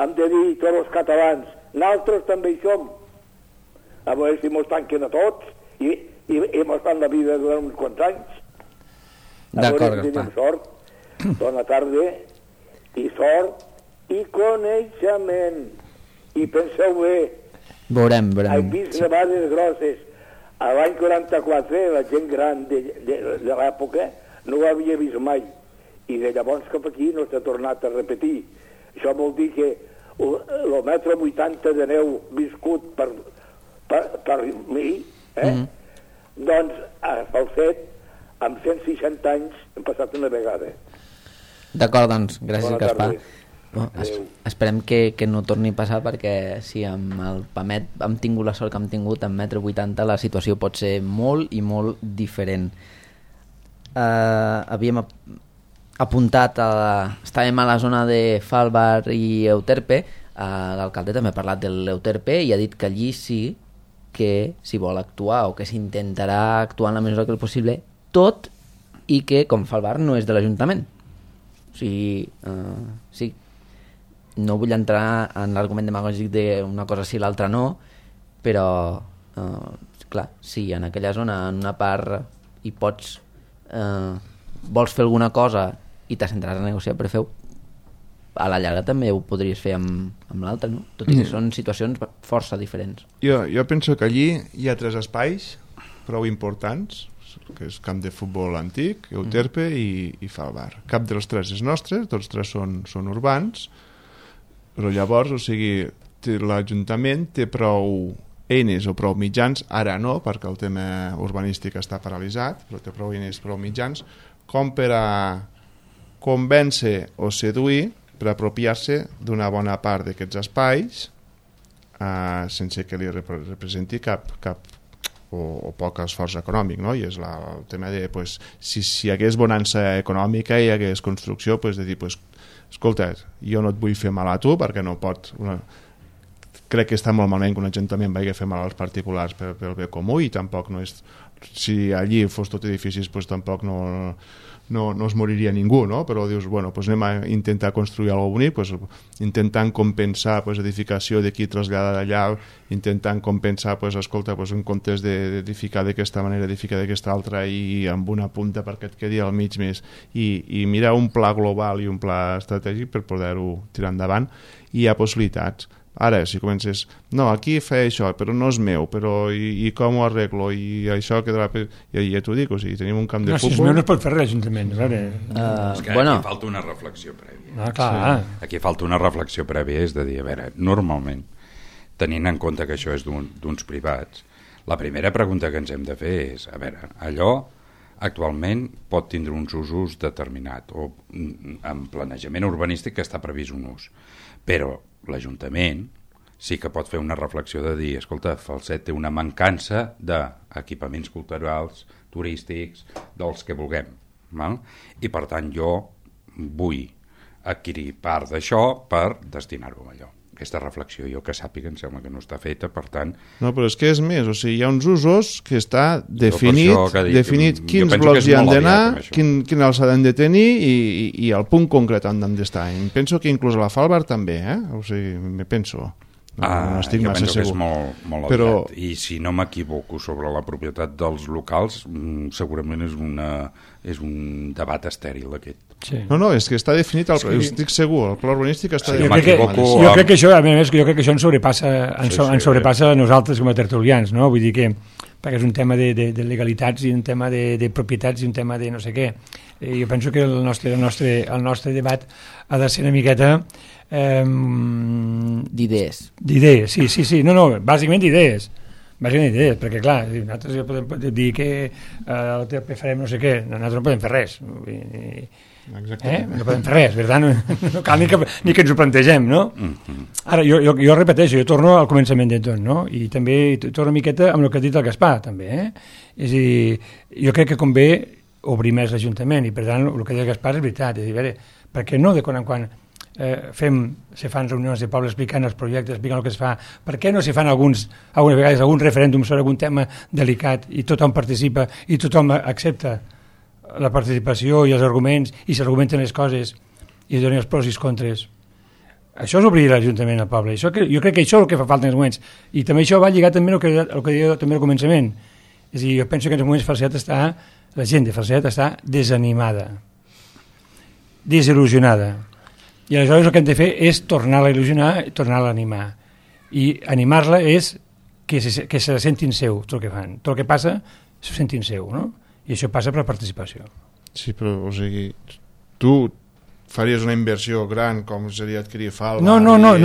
hem de dir tots els catalans, nosaltres també hi som. A veure si mos tanquen a tots i mos fan la vida durant uns quants anys. D'acord, Gaspar. Tenim sort, bona tarda, i sort, i coneixement. I penseu bé, veurem. he vist nevades grosses. A l'any 44, la gent gran de l'època no ho havia vist mai. I de llavors cap aquí no s'ha tornat a repetir. Això vol dir que el metre 80 de neu viscut per mi, doncs pel fet, amb 160 anys hem passat una vegada. D'acord, doncs, gràcies, Bona Gaspar. tarda. Esperem que no torni a passar, perquè si amb el PAMET hem tingut la sort que hem tingut, amb metre 80 la situació pot ser molt i molt diferent. Havíem apuntat, estàvem a la zona de Falbar i Euterpe. L'alcalde també ha parlat de l'Euterpe i ha dit que allí sí que s'hi vol actuar, o que s'intentarà actuar en la mesura que és possible, tot i que, com Falbar, no és de l'Ajuntament. O sigui, sí, no vull entrar en l'argument demagògic d'una cosa sí i l'altra no, però clar, si en aquella zona, en una part hi pots vols fer alguna cosa i t'assentaràs a negociar per fer-ho, a la llarga també ho podries fer amb l'altra, no? Tot i que són situacions força diferents. Jo penso que allí hi ha 3 espais prou importants, que és camp de futbol antic, Euterpe i Falbar. Cap dels 3 és nostre, tots 3 són urbans, però llavors, o sigui, l'Ajuntament té prou eines o prou mitjans, ara no, perquè el tema urbanístic està paralitzat, però té prou eines, prou mitjans, com per a convèncer o seduir, per apropiar-se d'una bona part d'aquests espais sense que li representi cap o poc esforç econòmic, no? I és el tema de, pues, si hi hagués bonança econòmica i hi hagués construcció, pues, de dir, pues, escolta, jo no et vull fer mal a tu perquè no pot crec que està molt malament que un ajuntament vagi a fer mal als particulars pel bé comú, i tampoc no és... Si allí fos tot edificis, pues tampoc no es moriria ningú, no? Però dius, bueno, pues anem a intentar construir alguna cosa bonic, pues, intentant compensar pues, edificació d'aquí traslladar d'allà, intentant compensar, pues, escolta, pues, en comptes d'edificar d'aquesta manera, edificar d'aquesta altra, i amb una punta perquè et quedi al mig més, i mirar un pla global i un pla estratègic per poder-ho tirar endavant. I hi ha possibilitats. Ara, si comences, no, aquí feia això, però no és meu, però i com ho arreglo, i això quedarà... I ja t'ho dic, o sigui, tenim un camp de futbol... Si és meu no es pot fer res, l'Ajuntament, a veure... És que aquí falta una reflexió prèvia. Ah, clar. Sí. Aquí falta una reflexió prèvia, és de dir, a veure, normalment, tenint en compte que això és d'uns privats, la primera pregunta que ens hem de fer és, a veure, allò actualment pot tindre uns usos determinats, o en planejament urbanístic que està previst un ús, però l'Ajuntament sí que pot fer una reflexió de dir, escolta, Falset té una mancança d'equipaments culturals, turístics, dels que vulguem, val? I per tant jo vull adquirir part d'això per destinar-ho a allò. Aquesta reflexió jo que sàpiga em sembla que no està feta, per tant... No, però és que és més, o sigui, hi ha uns usos que està definit quins blocs hi han d'anar, quin alçada han de tenir i el punt concret on han d'estar. Em penso que inclús a la Falbar també, o sigui, me penso... No estic massa segur. Jo penso que és molt aviat. I si no m'equivoco sobre la propietat dels locals, segurament és un debat estèril aquest. Sí. No, és que està definit, estic segur, el pla urbanístic està definit. Jo crec que això, a més, jo crec que això ens sobrepassa a nosaltres com a tertulians, no? Vull dir que, perquè és un tema de legalitats i un tema de propietats i un tema de no sé què. Jo penso que el nostre debat ha de ser una miqueta... d'idees, sí, no, bàsicament d'idees, perquè clar, nosaltres podem dir que el TP farem no sé què, nosaltres no podem fer res, no podem fer res, no cal ni que ens ho plantegem, no? Ara, jo repeteixo, jo torno al començament de tot, no? I també torno una miqueta amb el que ha dit el Gaspar, també, és a dir, jo crec que convé obrir més l'Ajuntament, i per tant el que ha dit el Gaspar és veritat, és a dir, per què no de quan en quan se fan reunions de poble explicant els projectes, explicant el que es fa, per què no se fan algunes vegades algun referèndum sobre algun tema delicat i tothom participa i tothom accepta la participació i els arguments i s'argumenten les coses i donen els pros i els contres. Això és obrir l'Ajuntament al poble. Jo crec que això és el que fa falta en els moments, i també això va lligar també al que deia també al començament. És a dir, jo penso que en els moments la gent de Falset està desanimada, desil·lusionada. I aleshores el que hem de fer és tornar-la a il·lusionar i tornar-la a animar. I animar-la és que se sentin seu, tot el que fan. Tot el que passa, se sentin seu, no? I això passa per la participació. Sí, però, o sigui, tu faries una inversió gran com seria adquirir Falba... No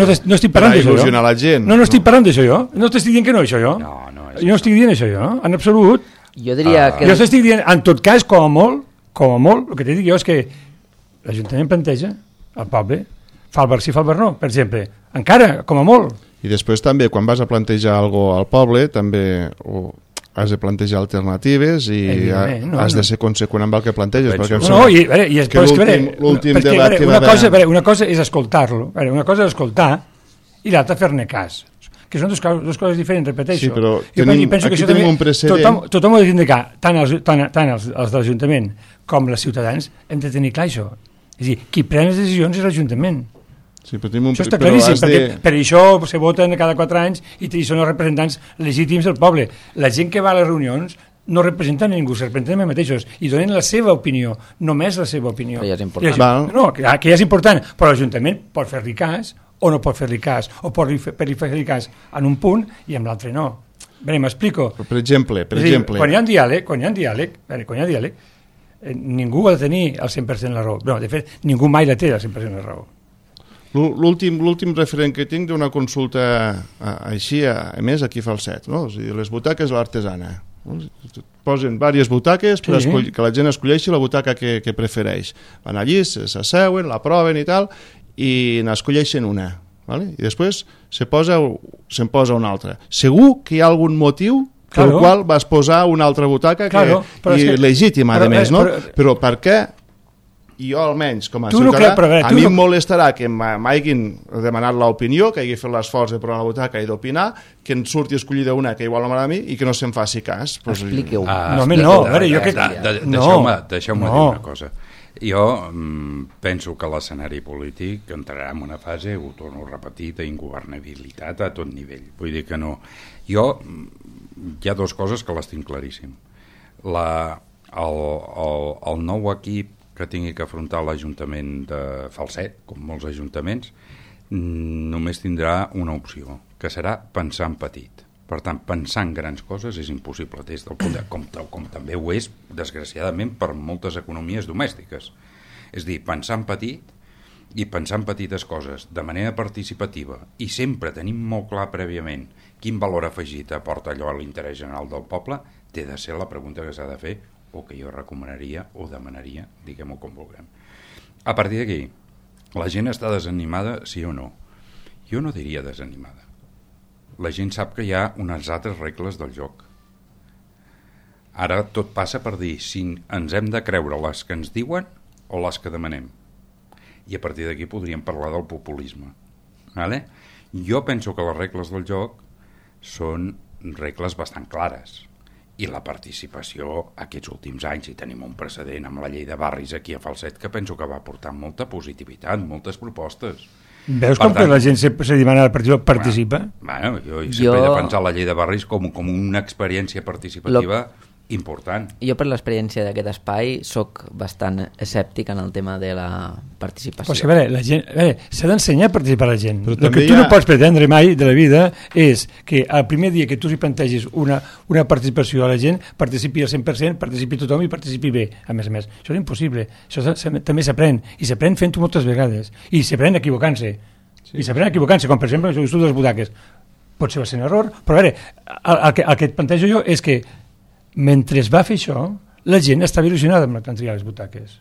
estic parlant d'això. Per il·lusionar la gent. No estic parlant d'això jo. No t'estic dient que no, això jo. No estic dient això jo, en absolut. Jo diria que... Jo t'estic dient, en tot cas, com a molt, el que t'he dit jo és que l'Ajuntament planteja al poble, Falbar sí, Falbar no, per exemple, encara, com a molt. I després també, quan vas a plantejar alguna cosa al poble, també has de plantejar alternatives i has de ser conseqüent amb el que planteges. L'últim debat que va haver... Una cosa és escoltar-lo, una cosa és escoltar i l'altra fer-ne cas, que són dues coses diferents, repeteixo. Sí, però aquí tenim un precedent... Tothom ho ha de dir, tant els de l'Ajuntament com els ciutadans hem de tenir clar això. És a dir, qui pren les decisions és l'Ajuntament. Sí, però això està claríssim, perquè per això se voten cada 4 anys i són els representants legítims del poble. La gent que va a les reunions no representen a ningú, se representen a mateixos i donen la seva opinió, només la seva opinió. Que ja és important. Que ja és important, però l'Ajuntament pot fer-li cas o no pot fer-li cas, o pot fer-li cas en un punt i en l'altre no. Bé, m'explico. Per exemple... Quan hi ha diàleg, ningú ha de tenir el 100% la raó. No, de fet, ningú mai la té el 100% la raó. L'últim referent que tinc d'una consulta així, a més, aquí a Falset, no? O sigui, les butaques de l'artesana. Posen diverses butaques que la gent escolleixi la butaca que prefereix. Van allí, s'asseuen, la proven i tal, i n'escolleixen una. Vale? I després se'n posa una altra. Segur que hi ha algun motiu per el qual vas posar una altra butaca legítima, a més, no? Però per què jo almenys com a Tu no ciutadà, crec, però a veure, a tu mi no- em molestarà que m'hagin demanat l'opinió, que hagi fet l'esforç de provar la butaca i d'opinar, que en surti escollida una que igual no m'agrada a mi i que no se'm faci cas. Pues, Expliqueu. No, home, no, a veure, jo crec... Deixeu-me dir una cosa. Jo penso que l'escenari polític entrarà en una fase, ho torno a repetir, d'ingovernabilitat a tot nivell. Vull dir que no... Jo, hi ha dues coses que les tinc claríssim. El nou equip que tingui que afrontar l'Ajuntament de Falset, com molts ajuntaments, només tindrà una opció, que serà pensar en petit. Per tant, pensar en grans coses és impossible, des del punt de, com també ho és, desgraciadament, per moltes economies domèstiques. És dir, pensar en petit i pensar en petites coses de manera participativa i sempre tenim molt clar prèviament quin valor afegit aporta allò a l'interès general del poble, té de ser la pregunta que s'ha de fer o que jo recomanaria o demanaria, diguem-ho com vulguem. A partir d'aquí, la gent està desanimada, sí o no? Jo no diria desanimada. La gent sap que hi ha unes altres regles del joc. Ara tot passa per dir si ens hem de creure les que ens diuen o les que demanem. I a partir d'aquí podríem parlar del populisme. Vale? Jo penso que les regles del joc són regles bastant clares. I la participació aquests últims anys, i tenim un precedent amb la llei de barris aquí a Falset, que penso que va portar molta positivitat, moltes propostes. Veus com que la gent se demana participa? Bueno, jo sempre he defensat la llei de barris com una experiència participativa important. Jo, per l'experiència d'aquest espai, sóc bastant escèptic en el tema de la participació. Pues que, a veure, s'ha d'ensenyar a participar la gent. Però El que tu no pots pretendre mai de la vida és que el primer dia que tu hi plantegis una participació a la gent, participi al 100%, participi tothom i participi bé, a més a més. Això és impossible. Això també s'aprèn, i s'aprèn fent-ho moltes vegades, i s'aprèn equivocant-se. Sí. I s'aprèn equivocant-se, com per exemple el de les butaques. Pot ser un error, però a veure, el que et plantejo jo és que mentre es va fer això, la gent estava il·lusionada amb triar les butaques.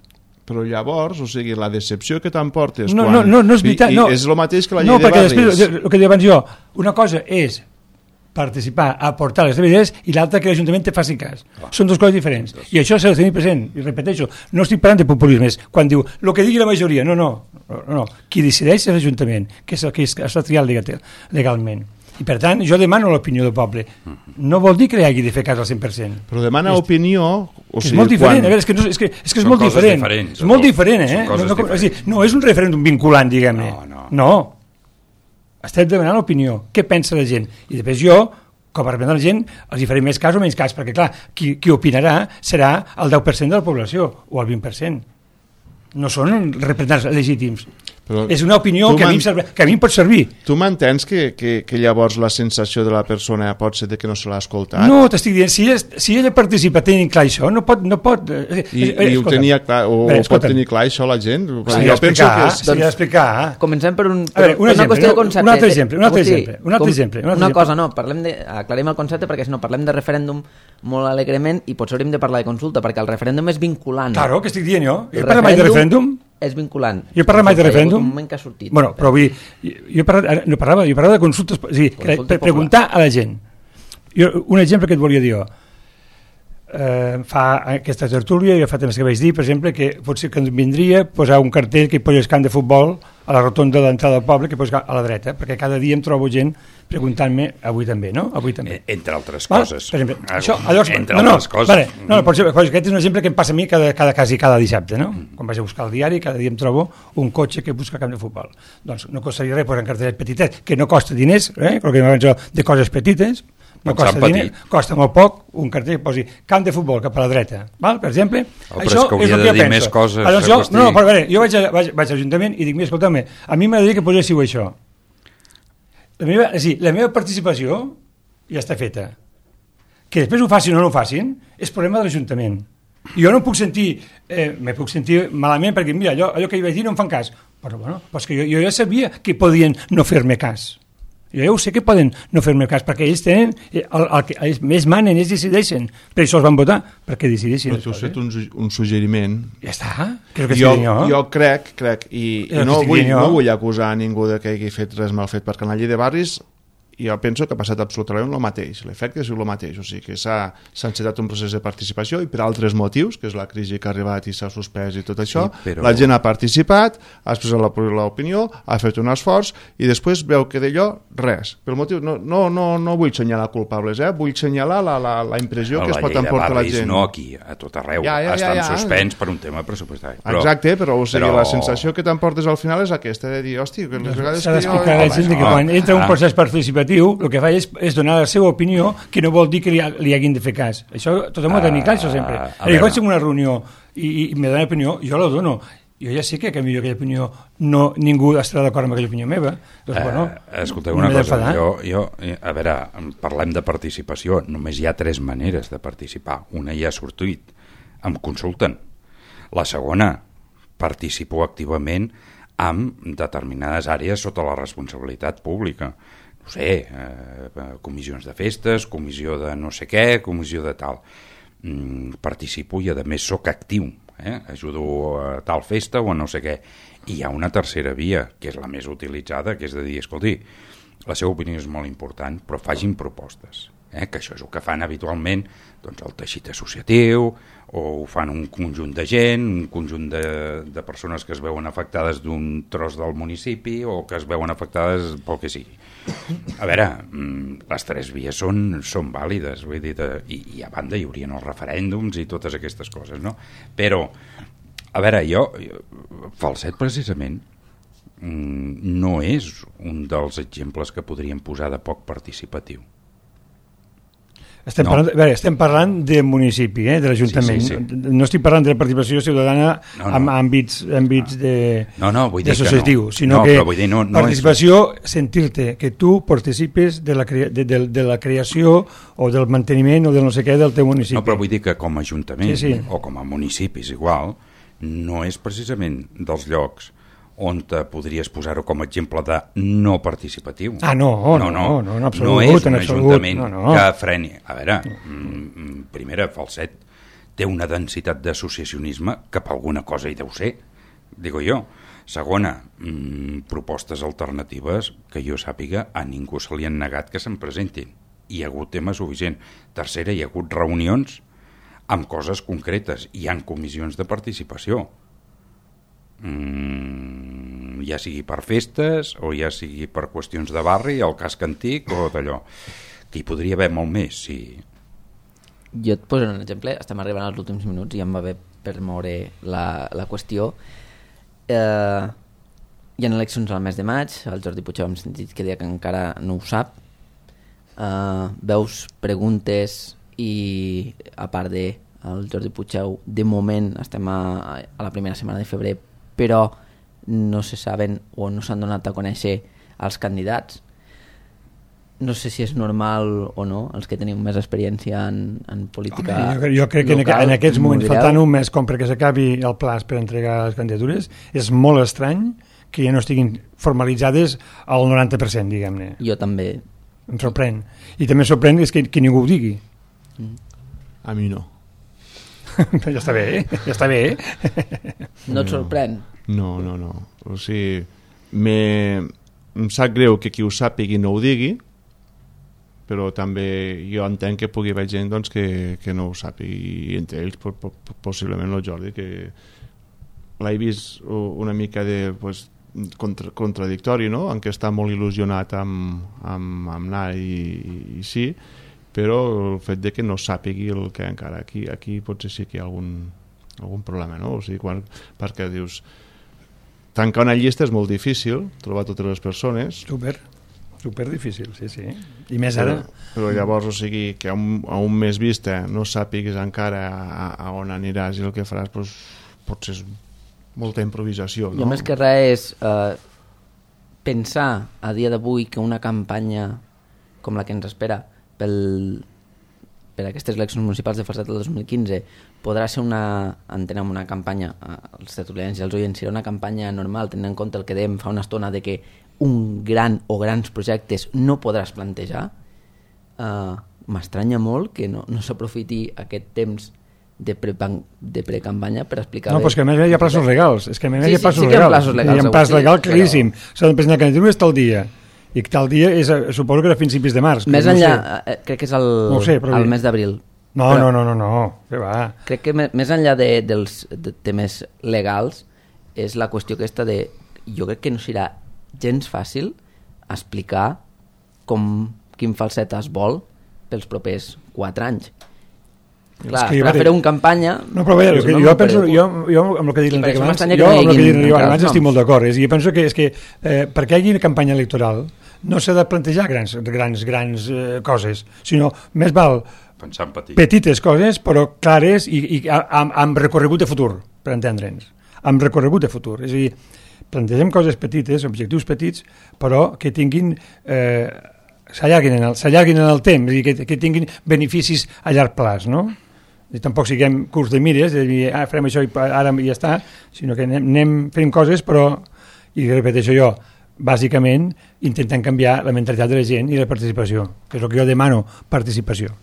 Però llavors, o sigui, la decepció que t'emportes no és veritat, no. És el mateix que la llei de perquè barris. Després, el que deia abans jo, una cosa és participar, aportar les teves idees, i l'altra que l'Ajuntament te faci cas. Són dues coses diferents. I això s'ha de tenir present. I repeteixo, no estic parlant de populismes. Quan diu, el que digui la majoria, no. Qui decideix és l'Ajuntament, que és el que està triat legalment. I per tant, jo demano l'opinió del poble. No vol dir que li hagi de fer cas al 100%. Però demana opinió... O sigui, és molt diferent, a veure, és que és molt diferent. És molt diferent, no és un referèndum vinculant, diguem-ne. No. Estem demanant l'opinió. Què pensa la gent? I després jo, com a representant de la gent, els hi faré més cas o menys cas, perquè clar, qui opinarà serà el 10% de la població, o el 20%. No són representants legítims. Però és una opinió que a mi em pot servir. Tu m'entens que llavors la sensació de la persona pot ser que no se l'ha escoltat? No, t'estic dient, si ella participa tenint clar això, no pot... I ho tenia clar, o pot tenir clar això la gent? Jo penso que s'ha d'explicar. Comencem per una qüestió de concepte. Un altre exemple. Una cosa, no, aclarim el concepte, perquè si no parlem de referèndum molt alegrement i potser hauríem de parlar de consulta, perquè el referèndum és vinculant. Claro, que estic dient jo. Jo parlo mai de referèndum. És vinculant. Jo parlo mai de referèndum. Un moment que ha sortit. Bueno, però vull dir, jo parlava de consultes, o sigui, per preguntar a la gent. Un exemple que et volia dir jo. Fa aquesta tertúlia, jo fa temps que vaig dir, per exemple, que potser que vindria posar un cartell que hi posi el camp de futbol a la rotonda de l'entrada del poble, que posi a la dreta, perquè cada dia em trobo gent preguntant-me, avui també, no? Avui també. Entre altres coses. Per exemple, això, llavors, entre altres coses. Aquest és un exemple que em passa a mi cada dissabte, no? Quan vaig a buscar el diari, cada dia em trobo un cotxe que busca camp de futbol. Doncs no costaria res posar un cartellet petitet, que no costa diners, el que m'abans de coses petites, no costa diners, costa molt poc, un cartell que posi camp de futbol cap a la dreta, val? Per exemple, això és el que jo penso. Coses, no, però a veure, jo vaig a l'Ajuntament i dic, mira, escolta'm, a mi m'agradaria que poséssiu això. La meva participació ja està feta. Que després ho facin o no ho facin és problema de l'Ajuntament. Jo no em puc sentir, me puc sentir malament perquè, mira, allò que hi vaig dir no em fan cas. Però bueno, doncs que jo ja sabia que podien no fer-me cas. Jo ja ho sé que poden no fer-me cas, perquè ells tenen, ells més manen, ells decideixen. Per això els van votar, perquè decideixin. Però tu has fet un suggeriment. Ja està, que és el que estic dient jo. Jo crec, i no vull acusar a ningú de que hagi fet res mal fet, perquè en la llei de barris i jo penso que ha passat absolutament el mateix, l'efecte és el mateix, o sigui que s'ha encetat un procés de participació i per altres motius, que és la crisi que ha arribat i s'ha suspès i tot això, però... la gent ha participat, ha expressat l'opinió, ha fet un esforç i després veu que d'allò res. Per motiu, no vull assenyalar culpables, vull assenyalar la impressió que es pot emportar la gent. No aquí, a tot arreu, estan suspens per un tema pressupostari. Exacte, però la sensació que t'emportes al final és aquesta, de dir, hòstia, que les vegades s'ha d'explicar a la gent que quan entra un procés participatiu el que fa és donar la seva opinió, que no vol dir que li hagin de fer cas. Això tothom ho ha de tenir clar, això sempre. Quan estic en una reunió i me dona opinió, jo la dono. Jo ja sé que millor aquella opinió ningú estarà d'acord amb aquella opinió meva. Doncs, escolteu una cosa, a veure, parlem de participació, només hi ha 3 maneres de participar. Una ja ha sortit, em consulten. La segona, participo activament amb determinades àrees sota la responsabilitat pública. No sé, comissions de festes, comissió de no sé què, comissió de tal. Participo i a més soc actiu, ajudo a tal festa o a no sé què. I hi ha una tercera via, que és la més utilitzada, que és de dir, escolti, la seva opinió és molt important, però facin propostes. Que això és el que fan habitualment doncs, el teixit associatiu, o ho fan un conjunt de gent, un conjunt de persones que es veuen afectades d'un tros del municipi o que es veuen afectades pel que sigui. A veure, les 3 vies són vàlides, vull dir, i a banda hi haurien els referèndums i totes aquestes coses, no? Però, a veure, Falset precisament no és un dels exemples que podríem posar de poc participatiu. Estem parlant de municipi, de l'Ajuntament. Sí. No estic parlant de participació ciutadana en àmbits associatiu, sinó que participació, sentir-te que tu participes de la creació o del manteniment o del no sé què del teu municipi. No, però vull dir que com a Ajuntament o com a municipis igual, no és precisament dels llocs on te podries posar-ho com a exemple de no participatiu. No, en absolut. No és un ajuntament que freni. A veure, primera, Falset té una densitat d'associacionisme que per alguna cosa hi deu ser, digo jo. Segona, propostes alternatives que jo sàpiga a ningú se li han negat que se'n presentin. Hi ha hagut tema suficient. Tercera, hi ha hagut reunions amb coses concretes. Hi ha comissions de participació. Ja sigui per festes o ja sigui per qüestions de barri, el casc antic o d'allò, que hi podria haver molt més. Sí. Jo et poso un exemple, estem arribant als últims minuts i em va bé per moure la qüestió. Hi ha eleccions al mes de maig, el Jordi Puigdemont hem sentit que deia que encara no ho sap. Veus preguntes i a part del Jordi Puigdemont, de moment estem a la primera setmana de febrer, però no se saben o no s'han donat a conèixer els candidats. No sé si és normal o no, els que tenim més experiència en política local. Jo crec que en aquests moments, faltant un mes com perquè s'acabi el plaç per entregar les candidatures, és molt estrany que ja no estiguin formalitzades al 90%, diguem-ne. Jo també. Em sorprèn. I també em sorprèn que ningú ho digui. A mi no. Ja està bé, ja està bé. No et sorprèn? No. O sigui, em sap greu que qui ho sàpigui no ho digui, però també jo entenc que pugui haver gent doncs, que no ho sàpigui, i entre ells possiblement el Jordi, que l'he vist una mica de contradictori, no? En què està molt il·lusionat amb anar i sí, però el fet de que no sàpigui el que encara aquí potser sí que hi ha algun problema, no? O sigui, perquè dius, tancar una llista és molt difícil, trobar totes les persones. Super difícil, sí. I més ara. Però llavors, o sigui, que a un mes vista no sàpigues encara a on aniràs i el que faràs, doncs, potser és molta improvisació, no? Jo més que res és pensar a dia d'avui que una campanya com la que ens espera per aquestes eleccions municipals de Falset del 2015 podrà ser entenem una campanya, els tertulians i els oients, serà una campanya normal, tenint en compte el que dèiem fa una estona de que un gran o grans projectes no podràs plantejar. M'estranya molt que no s'aprofiti aquest temps de precampanya per explicar... No, però és que a més hi ha plaços legals. És que a més hi ha plaços legals. Hi ha un plaç legal claríssim. S'ha de presentar candidatures tal dia. i tal dia suposo que era fins principis de març. Més no enllà, crec que és el mes d'abril. No, què va. Crec que més enllà dels temes legals és la qüestió aquesta de... Jo crec que no serà gens fàcil explicar quin falset es vol pels propers 4 anys. Clar, per fer una campanya... No, però bé, jo penso... Jo amb el que dic l'Enric abans estic molt d'acord. Jo penso que és que perquè hi hagi una campanya electoral no s'ha de plantejar grans coses, sinó més val petites coses però clares i amb recorregut de futur, per entendre'ns. Amb recorregut de futur. És a dir, plantegem coses petites, objectius petits, però que tinguin... s'allarguin en el temps, és a dir, que tinguin beneficis a llarg plaç, no? I tampoc siguem curts de mires, de dir, farem això i ara ja està, sinó que anem fent coses, però, i repeteixo jo, bàsicament intentant canviar la mentalitat de la gent i la participació, que és el que jo demano, participació.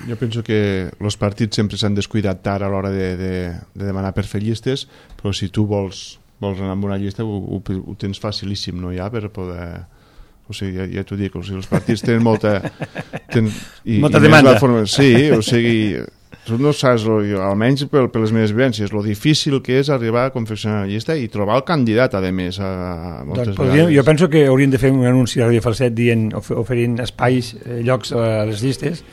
Jo penso que els partits sempre s'han descuidat tard a l'hora de demanar per fer llistes, però si tu vols anar amb una llista ho tens facilíssim, no, ja, per poder... O sigui, ja t'ho dic, o sigui, els partits tenen molta demanda. Sí, o sigui, tu no saps, almenys per les meves vivències, lo difícil que és arribar a confeccionar una llista i trobar el candidat, a més, moltes vegades. Jo penso que hauríem de fer un anunci a Radio Falset dient, oferint espais, llocs a les llistes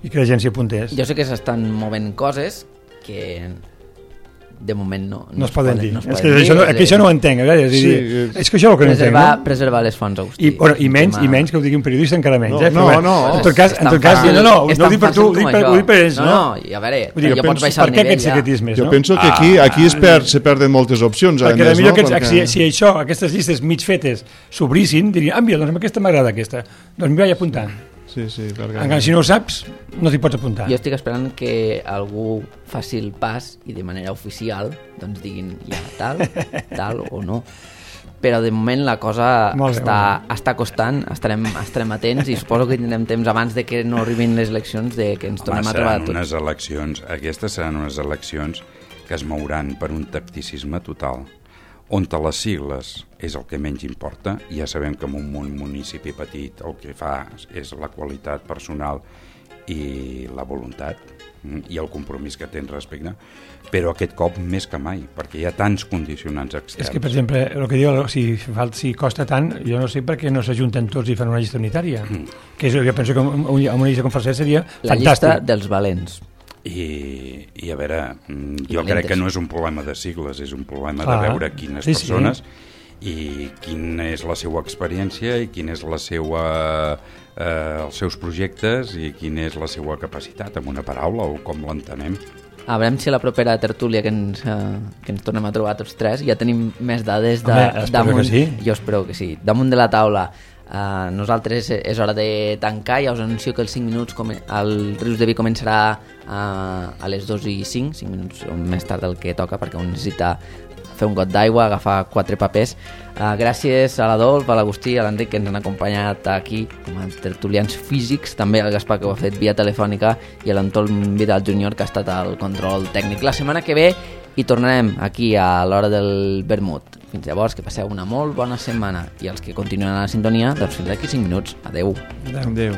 i que la gent s'hi apuntés. Jo sé que s'estan movent coses que... de moment no es poden dir. És que això no ho entenc. És que això ho que no entenc. Preservar les fonts, Agustí. I menys que ho digui un periodista encara menys. No. En tot cas, no ho dic per tu, ho dic per ells. No, i a veure, ja pots baixar el nivell. Jo penso que aquí se perden moltes opcions. Perquè potser si aquestes llistes mig fetes s'obrissin, dirien, mira, doncs aquesta m'agrada aquesta, doncs m'hi vaig apuntar. Sí, encara si no ho saps, no t'hi pots apuntar. Jo estic esperant que algú faci el pas i de manera oficial doncs diguin ja tal o no. Però de moment la cosa està costant, estarem atents i suposo que tindrem temps abans de que no arribin les eleccions de que ens tornem a trobar tots. Aquestes seran unes eleccions que es mouran per un tacticisme total, on les sigles és el que menys importa. Ja sabem que en un municipi petit el que fa és la qualitat personal i la voluntat i el compromís que tens respecte, però aquest cop més que mai, perquè hi ha tants condicionants externs. És que, per exemple, el que diu, si costa tant, jo no sé per què no s'ajunten tots i fan una llista unitària, que jo penso que amb una llista com Falset seria fantàstic. La llista dels valents. I a veure, jo crec que no és un problema de sigles, és un problema de veure quines persones i quina és la seva experiència i quina és la seva, els seus projectes i quina és la seva capacitat, amb una paraula o com l'entenem. A veure si a la propera tertúlia que ens tornem a trobar tots tres ja tenim més dades damunt. Jo espero que sí. Damunt de la taula. Nosaltres és hora de tancar. Ja us anuncio que els 5 minuts el Rius de Vi començarà a les 2:05, 5 minuts més tard del que toca, perquè un necessita fer un got d'aigua, agafar 4 papers. Gràcies a l'Adolf, a l'Agustí, a l'Enric, que ens han acompanyat aquí com a tertulians físics, també al Gaspar, que ho ha fet via telefònica, i a l'Antol Vidal Júnior, que ha estat al control tècnic. La setmana que ve hi tornarem aquí a l'hora del vermut. Fins llavors, que passeu una molt bona setmana, i els que continuen a la sintonia, doncs fins aquí 5 minuts. Adeu. Adeu.